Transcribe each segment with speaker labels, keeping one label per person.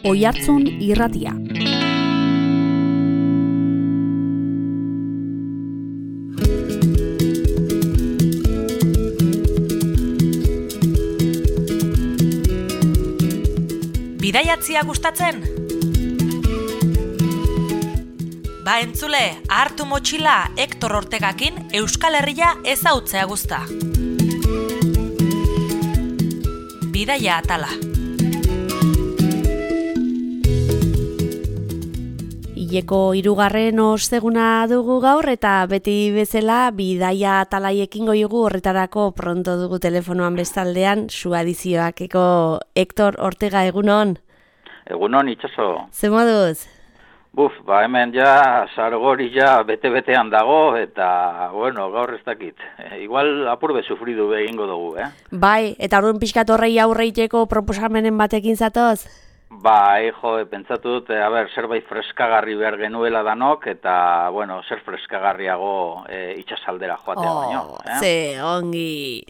Speaker 1: Oihartzun Irratia.
Speaker 2: Bidaiatzia gustatzen? Ba entzule, hartu motxila Hector Ortegakin Euskal Herria ezautzea guzta. Bidaia atala.
Speaker 1: Hileko 3. osteguna dugu gaur eta beti bezala bidaia atalaiekin goigu horretarako pronto dugu telefonoan bestaldean suadizioakeko Hector Ortega, egunon?
Speaker 3: Egunon, itxaso.
Speaker 1: Ze moduz?
Speaker 3: Hemen ja sargori ja bete-betean dago eta, gaur ez dakit. Igual apurbe sufridu egingo dugu,
Speaker 1: Bai, eta orduan pixkat horrei aurreiteko proposamenen batekin zatoz?
Speaker 3: Bai, pentsatu dut, zerbait freskagarri behar genuela danok, eta, zer freskagarriago itxasaldera joatea baino.
Speaker 1: Ze ongi.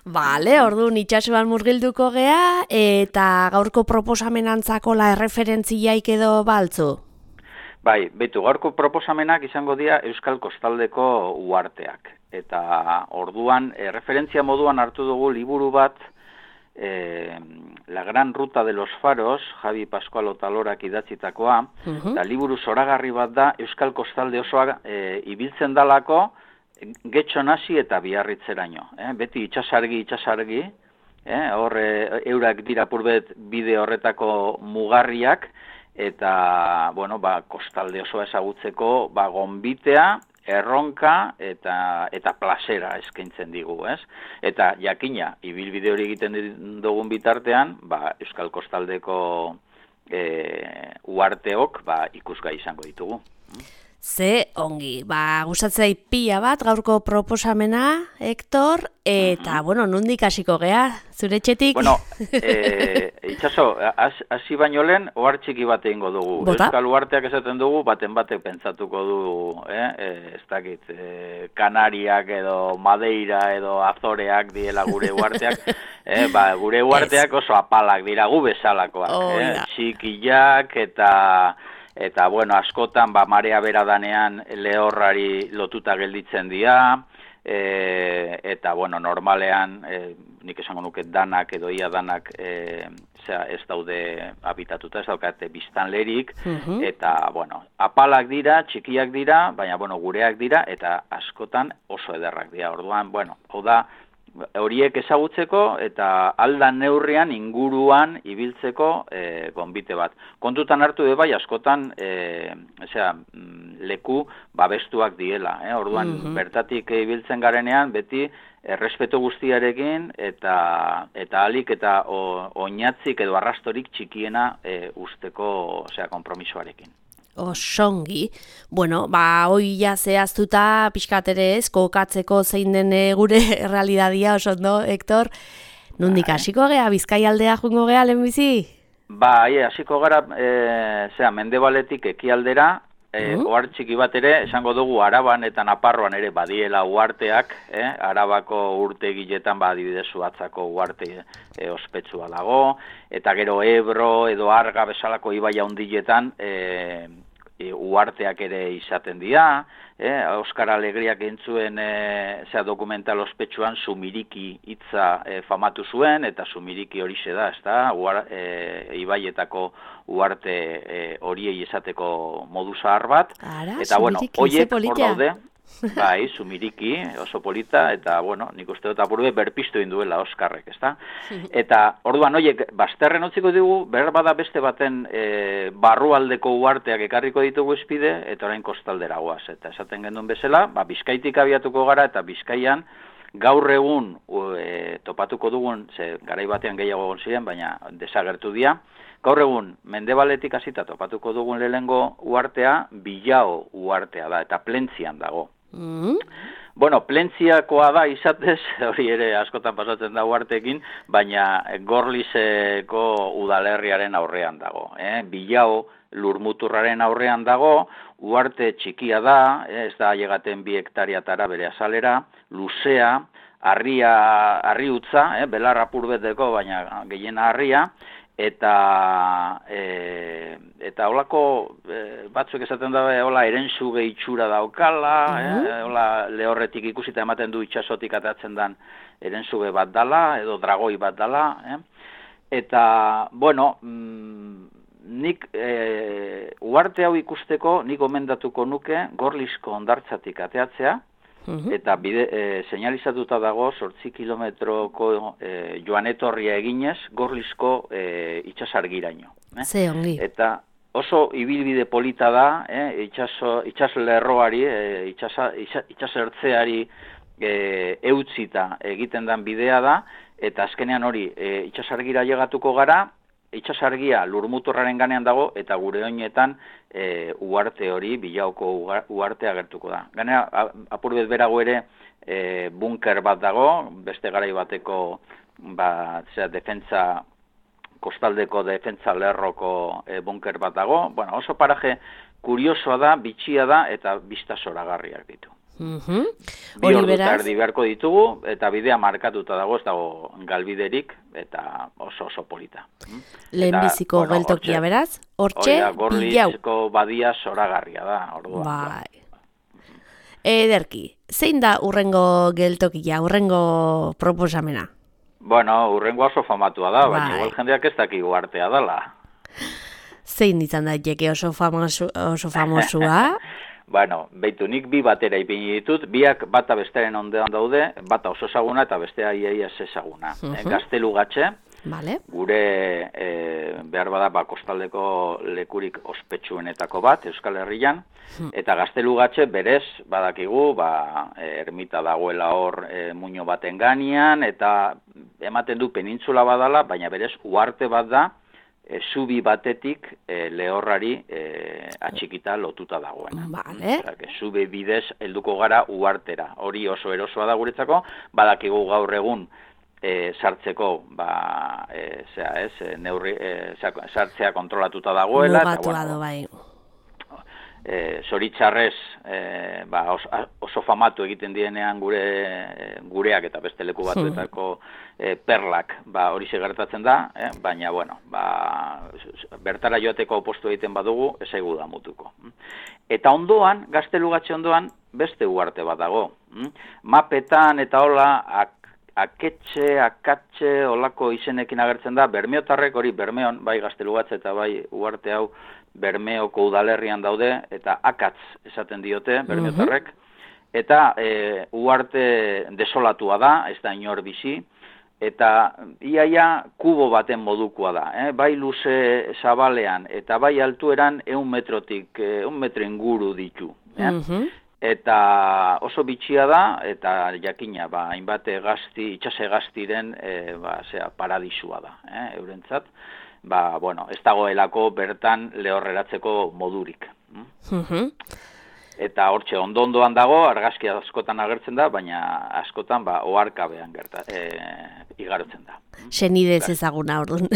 Speaker 1: Bale, orduan itxasuan murgilduko gea, eta gaurko proposamenantzako la erreferentziaik edo baltzu?
Speaker 3: Bai, beitu, gaurko proposamenak izango dira Euskal Kostaldeko uharteak. Eta orduan, referentzia moduan hartu dugu liburu bat, La Gran Ruta de los Faros, Javi Pascual Otalorak idatzitakoa, eta liburu zoragarri bat da Euskal Kostalde osoa ibiltzen dalako, getxo nasi eta biarritzeraino. Beti itxasargi, hor eurak dira purbet bide horretako mugarriak, eta, kostalde osoa ezagutzeko, gonbitea, erronka eta plazera eskaintzen digu, ez? Eta jakina, ibilbide hori egiten dugun bitartean, Euskal Kostaldeko uharteok ikusgai izango ditugu.
Speaker 1: Ze ongi, gustatzea pila bat gaurko proposamena, Hector, eta, nondik hasiko gea, zure etxetik?
Speaker 3: Itxaso, hasi baino lehen, ohar txiki bat egingo dugu.
Speaker 1: Bota?
Speaker 3: Euskal uharteak esaten dugu, baten pentsatuko du, ez dakit, Kanariak edo Madeira edo Azoreak diela gure uharteak, gure uharteak oso apalak dira, gu bezalakoak, txikiak eta askotan marea bera danean lehorrari lotuta gelditzen dira, eta normalean nik esango nuke danak edo ia danak ez daude habitatuta, ez daukate biztanlerik, eta apalak dira, txikiak dira, baina gureak dira, eta askotan oso ederrak dira. Orduan, hau da, horiek ezagutzeko eta aldan neurrian inguruan ibiltzeko gonbite bat. Kontutan hartu bai askotan leku babestuak diela. Orduan bertatik ibiltzen garenean beti errespetu guztiarekin eta alik eta oinatzik edo arrastorik txikiena usteko konpromisoarekin.
Speaker 1: Osongi. Hoi ja zehaztuta pixkat ere ez, kokatzeko zein den gure errealidadia, oso ondo, Hector. Nondik hasiko gea, Bizkaialdea joango gea lehenbizi?
Speaker 3: Hasiko gara, mendebaletik ekialdera, ohar txiki bat ere, esango dugu Araban eta Naparroan ere badiela uharteak, Arabako urtegiletan adibidez Zuhatzako uharte ospetsua dago, eta gero Ebro edo Arga bezalako ibai handiletan uharteak ere izaten dira, Oskar Alegriak entzuen dokumental ospetsuan Zumiriki hitza famatu zuen, eta Zumiriki horixe da, ibaietako uharte horiei izateko modu zahar bat. Eta horiek hor daude, Zumiriki, oso polita, eta nik uste dut apurbe berpiztu induela Oskarrek, ezta? Eta orduan horiek bazterren utziko dugu, behar bada beste baten barrualdeko uharteak ekarriko ditugu espide, eta orain kostaldera goaz. Eta esaten genduen bezala, Bizkaitik abiatuko gara, eta Bizkaian gaur egun topatuko dugun, garai batean gehiago egon ziren, baina desagertu dira, gaur egun mendebaletik hasita topatuko dugun lehenengo uhartea, Bilao uhartea da, eta Plentzian dago. Plentziakoa da izatez, hori ere askotan pasatzen da uharteekin, baina Gorlizeko udalerriaren aurrean dago. Bilao lurmuturraren aurrean dago, uharte txikia da, ez da ailegaten 2 hektariatara bere azalera, luzea, harri utza, belar apurbeteko, baina gehiena harria, eta holako batzuk esaten da hola erensuge itxura daukala, hola lehorretik ikusita ematen du itsasotik atatzen dan erensuge bat dala edo dragoi bat dala, eta bueno, nik uharte hau ikusteko nik gomendatuko nuke Gorlizko hondartzatik ateatzea. Eta seinalizatuta dago 8 kilometroko joan-etorria eginez Gorlizko itsasargiraino.
Speaker 1: Ze ongi.
Speaker 3: Eta oso ibilbide polita da, itsaslerroari, itsasertzeari eutzita egiten den bidea da, eta azkenean hori itsasargira llegatuko gara, itsasargia lurmuturraren ganean dago, eta gure oinetan uharte hori, Bilaoko uharte agertuko da. Gainera, apurbet berago ere bunker bat dago, beste garai bateko defentsa, kostaldeko defentsa lerroko bunker bat dago. Bueno, oso paraje kuriosoa da, bitxia da, eta bista zoragarriak ditu. Bi ordu eta erdi beharko ditugu, eta bidea markatuta dago, ez dago galbiderik, eta oso polita.
Speaker 1: Lehenbiziko geltokia beraz, hortxe, Bilau.
Speaker 3: Gorlizko badia zoragarria da, orduan.
Speaker 1: Bai. Ederki, zein da urrengo geltokia, urrengo proposamena?
Speaker 3: Bueno, urrengo oso famatua da, baina igual jendeak ez daki uhartea dela.
Speaker 1: Zein izan daiteke oso famosua?
Speaker 3: Bueno, beitu, nik bi batera ipini ditut, biak bata bestearen ondean daude, bata oso ezaguna eta bestea iaia ezaguna. Gaztelugatxe,
Speaker 1: vale.
Speaker 3: Gure behar bada kostaldeko lekurik ospetsuenetako bat, Euskal Herrian, eta Gaztelugatxe berez badakigu, ermita dagoela hor muino baten gainean, eta ematen du penintzula badala, baina berez uharte bat da, zubi batetik lehorrari atxikita lotuta dagoena.
Speaker 1: Vale.
Speaker 3: Zubi bidez helduko gara uhartera. Hori oso erosoa da guretzako, badakigu gaur egun sartzeko sartzea kontrolatuta dagoela.
Speaker 1: Mugatua da bai.
Speaker 3: Zoritxarrez oso famatu egiten dienean gureak eta beste leku batuetako perlak hori gertatzen da, baina bueno, bertara joateko opostu egiten badugu, ezaigu da mutuko. Eta ondoan, Gaztelugatxe ondoan, beste uharte bat dago. Mapetan eta hola, akatxe, olako izenekin agertzen da, Bermeotarrek hori Bermeon, bai Gaztelugatxe eta bai uharte hau, Bermeoko udalerrian daude, eta akatz esaten diote, Bermeotarrek, eta uharte desolatua da, ez da inor bizi, eta iaia kubo baten modukoa da, bai luze zabalean, eta bai altueran 100 metro inguru ditu. Eta oso bitxia da, eta jakina, hainbat itxase gaztiren paradisua da, eurentzat. Ez dagoelako bertan lehorreratzeko modurik. Eta hortxe ondo-ondoan dago, argazki askotan agertzen da, baina askotan oharkabean igarotzen da.
Speaker 1: Senidez ezaguna orduan,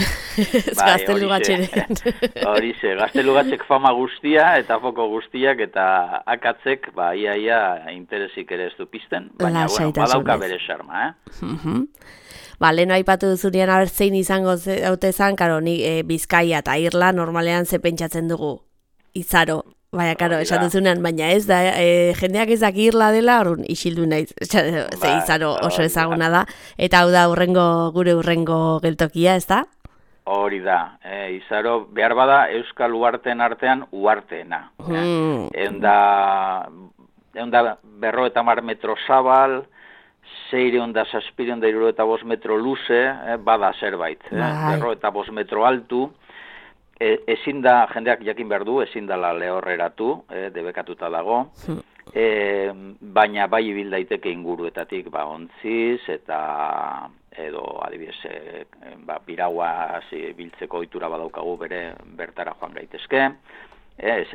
Speaker 1: Gaztelugatxeren.
Speaker 3: Horixe, Gaztelugatxek fama guztia eta foko guztiak eta akatzek iaia interesik ere ez du pizten, baina badauka bere xarma.
Speaker 1: Leheno aipatu duzunean zein izango haute zan, karo, Bizkaia eta Irla normalean ze pentsatzen dugu izaro. Baina, karo, esan duzunean, baina ez da, jendeak ezak Irla dela, orduan isildu naiz, ze izaro oso ezaguna da, eta hau da gure urrengo geltokia, ez da?
Speaker 3: Hori da, izaro behar bada Euskal uharteen artean uharteena. Egun da 50 metro zabal, 675 metro luze, bada zerbait, 55 metro altu, ezin da, jendeak jakin behar du, ezin dela lehorreratu, debekatuta dago, baina bai ibil daiteke inguruetatik, ontziz, eta edo adibidez, piragua biltzeko ohitura badaukagu bere bertara joan gaitezke,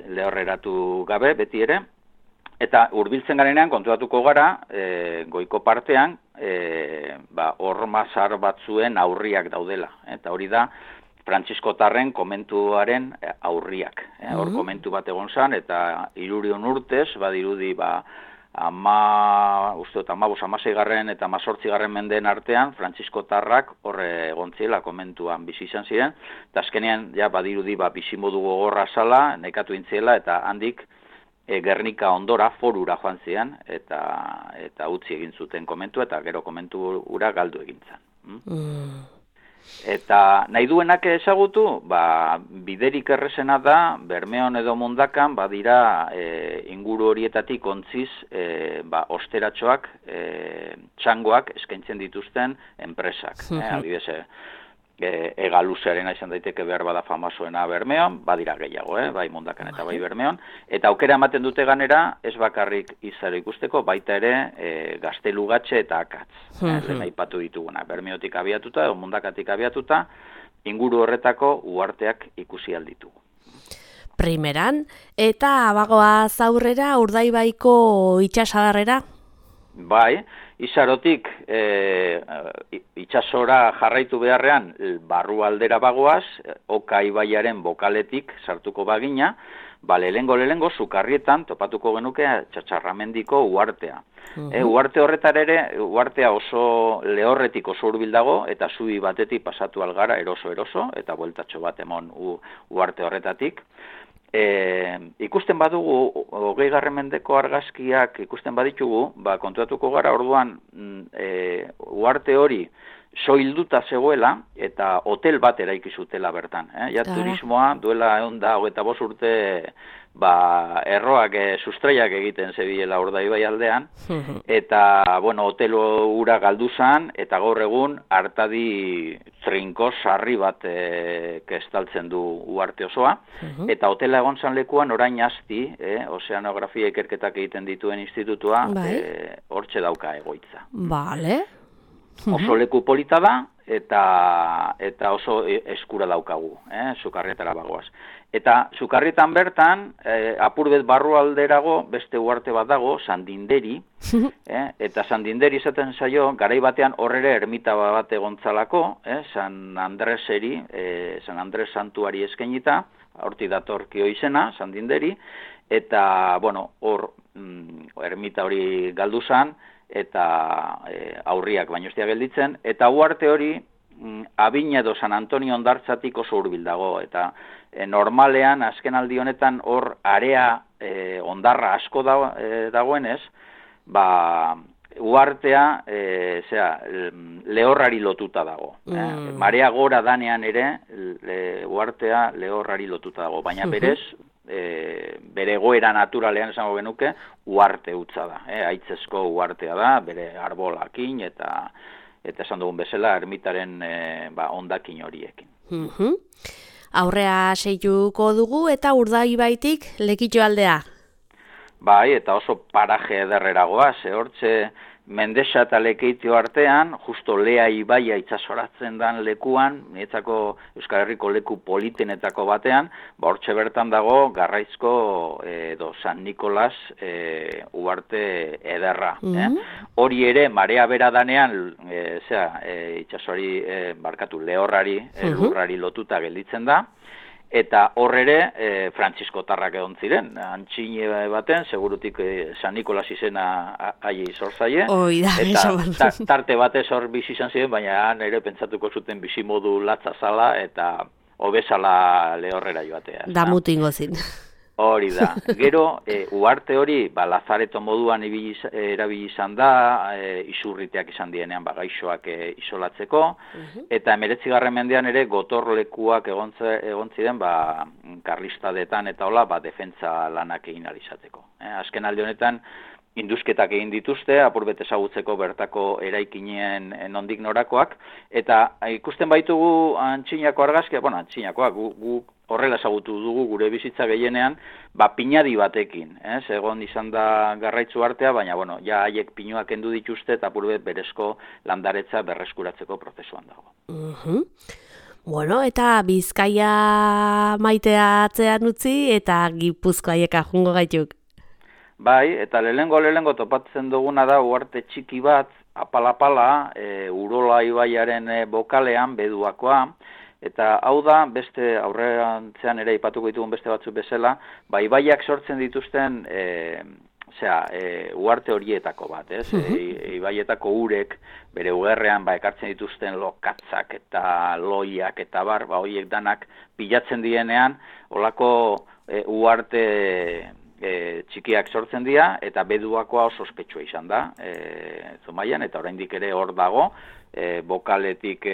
Speaker 3: lehorreratu gabe, beti ere, eta hurbiltzen garenean konturatuko gara, goiko partean, hormazar batzuen aurriak daudela, eta hori da, Frantziskotarren komentuaren aurriak. Hor komentu bat egon zan, eta 300 urtez, badirudi 16. eta 18. mendeen artean, frantziskotarrak horre egontziela komentuan bizi izan ziren, eta azkenean, ja, badirudi, bizimodu gogorra zala, nekatu intziela, eta handik Gernika ondora forura joan zian, eta utzi egin zuten komentua, eta gero komentu ura galdu egin zen. Eta nahi duenak ezagutu, biderik errezena da, Bermeon edo Mundakan, badira inguru horietatik ontziz osteratxoak, txangoak eskaintzen dituzten enpresak. Adibidez, Egaluzearena izan daiteke behar bada famasoena Bermeon, badira gehiago, bai Mundakan eta bai Bermeon, eta aukera ematen dute ganera, ez bakarrik izaro ikusteko, baita ere Gaztelugatxe eta Akatz, lehen aipatu dituguna, Bermeotik abiatuta, edo Mundakatik abiatuta, inguru horretako uharteak ikusi alditugu.
Speaker 1: Primeran, eta bagoaz aurrera Urdaibaiko itsasadarrera?
Speaker 3: Bai, Izarotik itsasora jarraitu beharrean barru aldera bagoaz, Oka ibaiaren bokaletik sartuko bagina, lehengo Sukarrietan topatuko genuke Txatxarramendiko uhartea. Uarte horretar ere, uhartea oso lehorretik oso hurbil dago, eta zubi batetik pasatu algara eroso, eta bueltatxo bat emon uarte horretatik. Ikusten badugu, 20. mendeko argazkiak ikusten baditugu, kontuatuko gara orduan uarte hori soilduta zegoela eta hotel bat eraiki zutela bertan. Turismoa duela 25 urte erroak, sustraiak egiten zebilela Urdaibai aldean, eta, hotel ura galdu zan, eta gaur egun hartadi trinko sarri bat estaltzen du uarte osoa, eta hotela egon zan lekuan orain asti, ozeanografia ikerketak egiten dituen institutua, hortxe dauka egoitza.
Speaker 1: Bale.
Speaker 3: Oso leku polita da, eta oso eskura daukagu, Sukarrietara bagoaz. Eta Sukarrietan bertan, apurbet barru alderago, beste uarte bat dago, Sandinderi, eta Sandinderi izaten zaio, garai batean horrere ermita bat egontzalako, San Andreseri, San Andres santuari eskainita, hortik datorkio izena, Sandinderi, eta, hor, ermita hori galdu zan, eta aurriak baino ez dira gelditzen, eta uarte hori Abina edo San Antonio hondartzatik oso hurbil dago, eta normalean azken aldi honetan hor area hondarra asko dagoenez, uartea lehorrari lotuta dago. Marea gora danean ere uartea lehorrari lotuta dago, baina berez bere egoera naturalean esango genuke uarte hutsa da, haitzezko uartea da, bere arbolakin eta esan dugun bezala ermitaren hondakin horiekin.
Speaker 1: Aurrea seituko dugu eta Urdaibaitik Lekitxo aldea.
Speaker 3: Bai, eta oso paraje ederreragoa, hortxe Mendexa eta Lekeitio artean, justo Lea ibaia itsasoratzen dan lekuan, niretzako Euskal Herriko leku politenetako batean, hortxe bertan dago Garraizko edo San Nikolas uarte ederra. Hori ere, marea bera danean, itsasoari lehorrari, lurrari lotuta gelditzen da, eta horrere frantziskotarrak egon ziren, antxine baten, segurutik San Nikolas izena aie zor zaie, eta tarte batez hor bizi izan ziren, baina nire pentsatuko zuten bizimodu latza zala eta hobezala lehorrera joatea.
Speaker 1: Damutingo zin.
Speaker 3: Hori da. Gero, uarte hori, lazareto moduan erabili izan da, isurriteak izan dienean gaixoak isolatzeko, eta 19. mendean ere gotorlekuak egon ziren karlistadetan eta hola, defentsa lanak egin alizateko. Azken aldi honetan, induzketak egin dituzte, apurbet ezagutzeko bertako eraikinen nondik norakoak, eta ikusten baitugu antxinako argazkia, antxinakoak, gu horrela ezagutu dugu gure bizitza gehienean, pinadi batekin, egon izan da Garraitzu artea, baina, ja haiek pinuak kendu dituzte, eta apurbet berezko landaretza berreskuratzeko prozesuan dago.
Speaker 1: Eta Bizkaia maitea atzean utzi, eta Gipuzkoaieka jungo gaituk.
Speaker 3: Bai, eta lehengo topatzen duguna da uarte txiki bat, apala, Urola ibaiaren bokalean, Beduakoa, eta hau da, beste aurrerantzean ere ipatuko ditugun beste batzuk bezala, ibaiak sortzen dituzten uarte horietako bat, ez? Ibaietako urek bere ugerrean ekartzen dituzten lokatzak eta loiak eta horiek danak pilatzen dienean, olako uarte txikiak sortzen dira, eta beduakoa oso ospetsua izan da, Zumaian, eta oraindik ere hor dago, bokaletik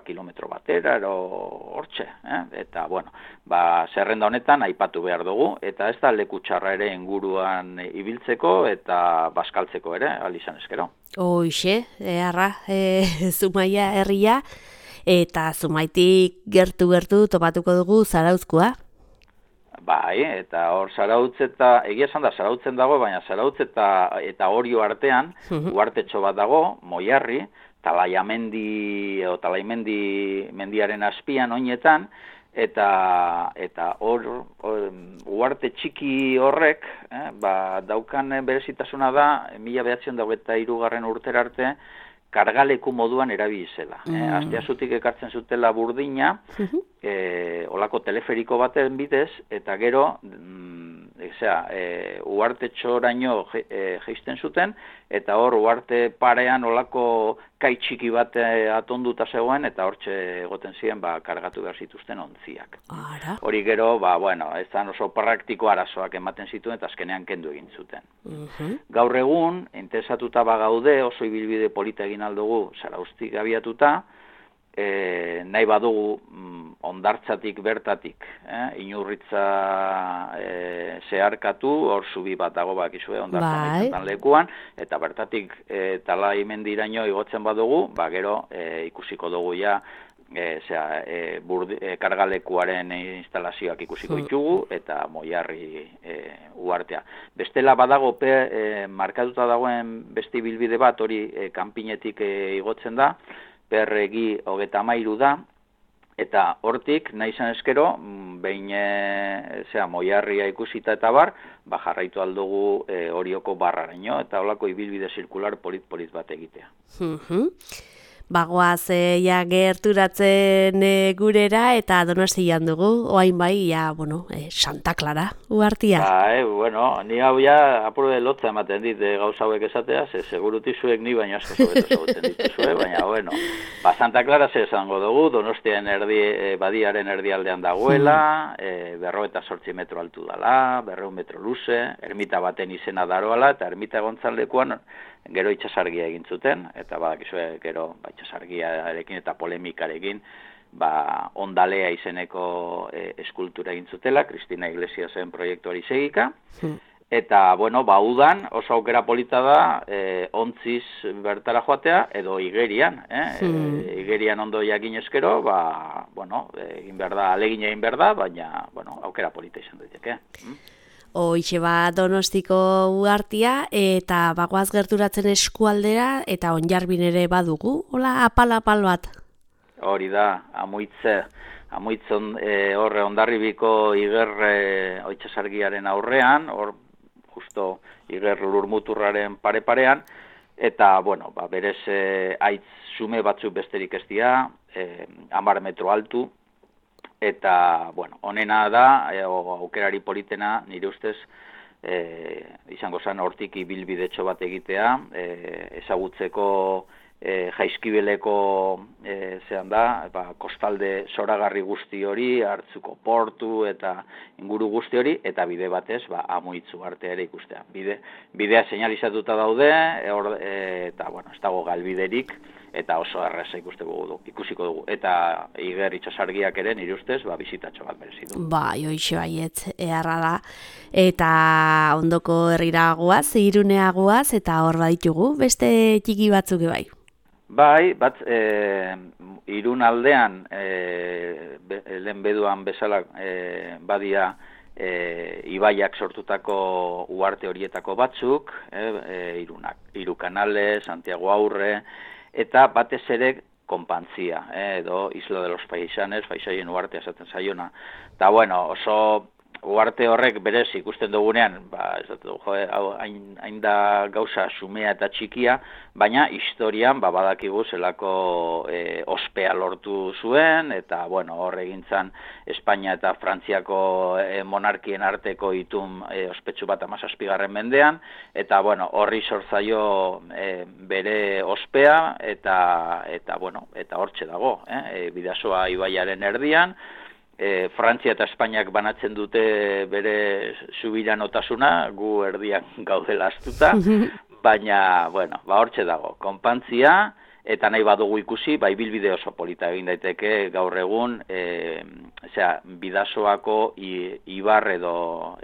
Speaker 3: kilometro batera, hortxe, eta, bueno, zerrenda honetan aipatu behar dugu, eta ez da leku txarra ere inguruan ibiltzeko eta bazkaltzeko ere, alizan eskero.
Speaker 1: Hoixe, Zumaia herria, eta Zumaitik gertu topatuko dugu Zarauzkoa.
Speaker 3: Bai, eta hor Zarautz eta, egia esan da, Zarautzen dago, baina Zarautz eta Orio artean, uartetxo bat dago, Moiarri, Talaiamendi mendiaren azpian oinetan, eta hor uarte txiki horrek, daukan berezitasuna da, 1923 urtera arte, kargaleku moduan erabili zela. Asteazutik ekartzen zutela Burdina, olako teleferiko baten bidez, eta gero, uartetxoraino jeisten zuten, eta hor uarte parean olako kai txiki bat atonduta zegoen, eta hortxe egoten ziren kargatu behar zituzten ontziak. Hori gero, ez da oso praktiko arazoak ematen zituen, eta azkenean kendu egin zuten. Gaur egun, interesatuta gaude, oso ibilbide polita egin aldugu Zarauztik abiatuta, nahi badugu ondartzatik bertatik, Inurritza zeharkatu, hor zubi bat dago bakizue ondartzan lekuan, eta bertatik Talaimendiraino igotzen badugu, gero ikusiko dugu ja kargalekuaren instalazioak ikusiko ditugu, eta Moiarri uartea. Bestela badago markatuta dagoen beste ibilbide bat, hori kanpinetik igotzen da, Perregi 33 da, eta hortik, nahi izan eskero, behin Moiarria ikusita eta jarraitu aldugu Orioko barraraino, eta holako ibilbide zirkular polit bat egitea.
Speaker 1: Bagoaz gerturatzen gurera, eta Donostian dugu, oain Santa Clara uartia.
Speaker 3: Ni hau apur de lotza ematen dit gauza hauek esatea, segurutizuek ni baina asko zobeto zagutzen dituzue, baina, Santa Clara esango dugu, Donostian badiaren erdialdean dagoela, 58 metro altu dala, 200 metro luze, ermita baten izena daroala, eta ermita egontzan lekuan gero itxasargia egin zuten, eta badakizue gero itxasargiarekin eta polemikarekin ondalea izeneko eskultura egin zutela, Cristina Iglesiasen proiektuari segika, eta, udan oso aukera polita da ontziz bertara joatea, edo igerian, igerian ondo jakin eskero, egin behar da, alegin egin behar da, baina, aukera polita izan daiteke.
Speaker 1: Hoixe Donostiko uartia, eta bagoaz gerturatzen eskualdera, eta Onjarbin ere badugu, hola apal bat?
Speaker 3: Hori da, amuitzen horre Hondarribiko iger oitxasargiaren aurrean, hor justo iger lurmuturraren pare-parean, eta, berez aitz sume batzuk besterik ez dira, 10 metro altu, eta, honena da, aukerari politena, nire ustez, izango zen hortik ibilbidetxo bat egitea, ezagutzeko Jaizkibeleko kostalde zoragarri guzti hori, Hartzuko portu eta inguru guzti hori, eta bide batez, Amuitzu arte ere ikustea. Bidea seinalizatuta daude, eta, ez dago galbiderik, eta oso erraza ikusiko dugu. Eta iger itxasargiak ere, nire ustez, bizitatxo bat merezi du.
Speaker 1: Hoixe baietz, eharra da. Eta ondoko herrira guaz, Irunea guaz, eta hor baditugu, beste txiki batzuk bai.
Speaker 3: Irun aldean, lehen beduan bezala badia ibaiak sortutako uarte horietako batzuk, Irukanale, Santiago Aurre, eta batez ere Konpantzia, edo Isla de los Paisanes, Paisaien uartea esaten zaiona. Eta, oso Uarte horrek berez ikusten dugunean, ez dut, hain da gauza xumea eta txikia, baina historian badakigu zelako ospea lortu zuen, eta hor egintzan Espainia eta Frantziako monarkien arteko itun ospetsu bat 17. mendean, eta horri sortzaio bere ospea, eta hortxe dago, Bidasoa ibaiaren erdian, Frantzia eta Espainiak banatzen dute bere subiranotasuna, gu erdian gaudela astuta, baina, hortxe dago, konpantzia, eta nahi badugu ikusi, ibilbide oso polita egin daiteke gaur egun, Bidasoako ibar edo,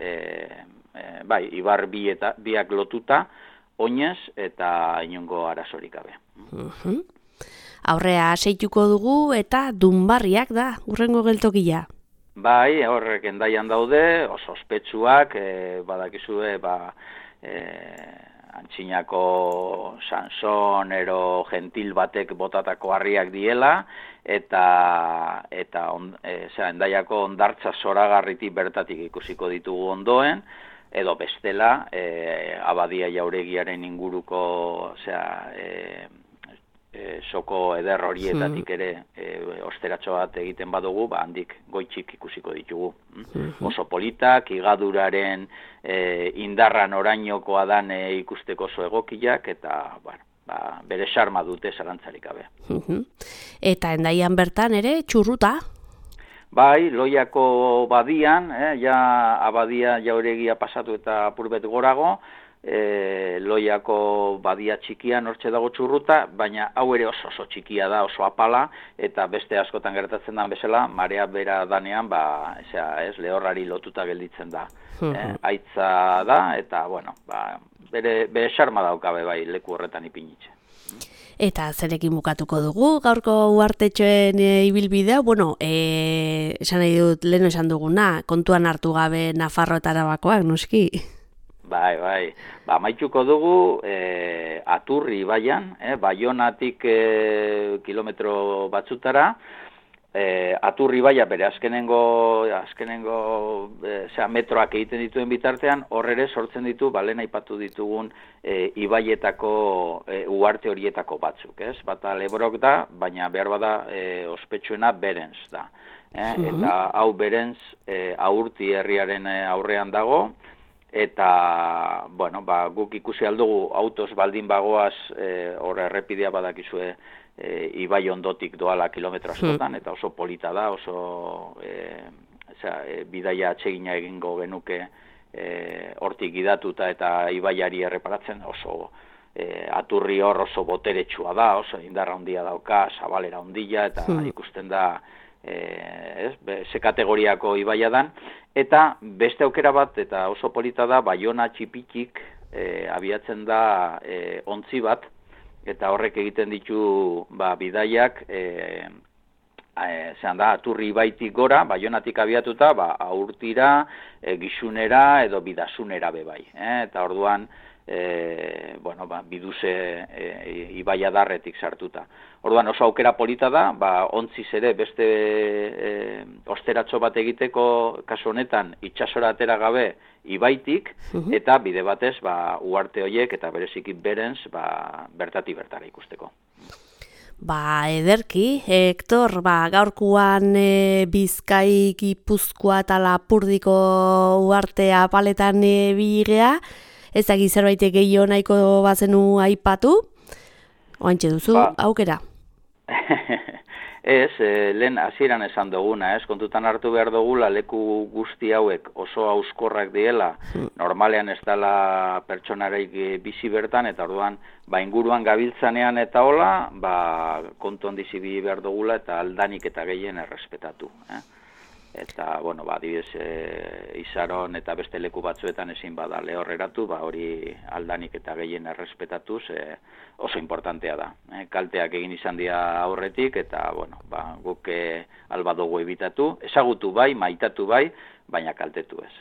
Speaker 3: ibar biak lotuta, oinez eta inongo arazorik gabe.
Speaker 1: Aurrea seituko dugu eta Dunbarriak da, urrengo geltokia.
Speaker 3: Horrek Hendaian daude, oso ospetsuak, badakizue, antzinako Sanson ero gentil batek botatako harriak diela, eta Hendaiako hondartza zoragarritik bertatik ikusiko ditugu ondoen, edo bestela, Abadia Jauregiaren inguruko, soko eder horietatik ere osteratxo bat egiten badugu, handik goitxik ikusiko ditugu. Oso politak, igaduraren indarran orainokoa dan ikusteko oso egokiak, eta bere xarma dute zarantzarik gabe.
Speaker 1: Eta Hendaian bertan ere txurruta?
Speaker 3: Loiako badian, Abadia Jauregia pasatu eta apurbet gorago, Loiako badia txikian hortxe dago txurruta, baina hau ere oso txikia da, oso apala, eta beste askotan gertatzen den bezala, marea bera danean, lehorrari lotuta gelditzen da. Aitza da, eta, bere xarma daukabe leku horretan ipinitxe.
Speaker 1: Eta zerekin bukatuko dugu, gaurko uhartetxoen ibilbidea, esan nahi dut, lehen esan duguna, kontuan hartu gabe Nafarro eta Arabakoak, noski?
Speaker 3: Amaituko dugu Aturri ibaian, Baionatik kilometro batzutara, Aturri ibaia bere azkenengo metroak egiten dituen bitartean, horre sortzen ditu, lehen aipatu ditugun ibaietako uharte horietako batzuk, bata Lebrok da, baina behar bada ospetsuena Berens da. Eta hau Berens Aurti herriaren aurrean dago, eta, guk ikusi aldugu autoz baldin bagoaz, horre errepidea badakizue ibai ondotik doala kilometro askotan, eta oso polita da, oso bidaia atsegina egingo genuke hortik gidatuta eta ibaiari erreparatzen, oso Aturri hor oso boteretsua da, oso indarra handia dauka, zabalera handia, eta ikusten da, ze kategoriako ibaia dan, eta beste aukera bat, eta oso polita da, Baiona txipitik abiatzen da ontzi bat, eta horrek egiten ditu bidaiak, Aturri ibaitik gora, Baionatik abiatuta, Aurtira, Gixunera edo Bidasunera bebai. Eta orduan, biduze ibaia darretik sartuta. Orduan oso aukera polita da, ontziz ere beste osteratxo bat egiteko kasu honetan itxasora atera gabe ibaitik, eta bide batez uharte horiek eta bereziki Berens bertati bertara ikusteko.
Speaker 1: Ederki, Hektor, gaurkuan Bizkai, Gipuzkoa eta Lapurdiko uhartea paletan biligea, ezagik zerbaitek gehiago nahiko bazenu aipatu, oantxe duzu, aukera?
Speaker 3: Ez, lehen hasieran esan duguna, kontutan hartu behar dugula leku guzti hauek oso hauskorrak diela, normalean ez dela pertsonareik bizi bertan, eta orduan, inguruan gabiltzanean eta hola, kontu handizi behar dugula eta aldanik eta gehien errespetatu. Eta, adibidez, Izaron eta beste leku batzuetan ezin bada lehorreratu, hori aldanik eta gehien errespetatuz oso importantea da. Kalteak egin izan dira aurretik, eta, guk alba dugu ebitatu, ezagutu maitatu baina kaltetu ez.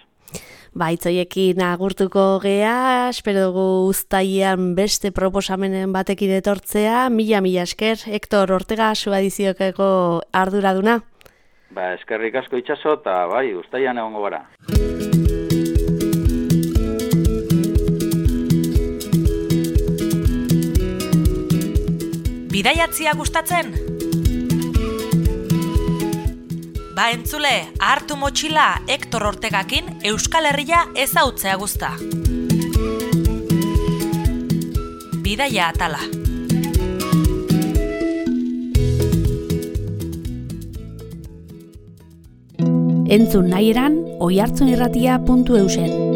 Speaker 1: Itzoiekin agurtuko gea, espero dugu uztailean beste proposamenen batekin etortzea, mila esker, Hektor Ortega Suadiziokeko arduraduna.
Speaker 3: Eskerrik asko Itxaso, eta bai, uztailan egongo gara.
Speaker 2: Bidaiatzia gustatzen? Entzule, hartu motxila Hektor Ortegakin Euskal Herria ezautzea guzta. Bidaia atala.
Speaker 1: Entzun nahi eran, oihartzunirratia.eusen.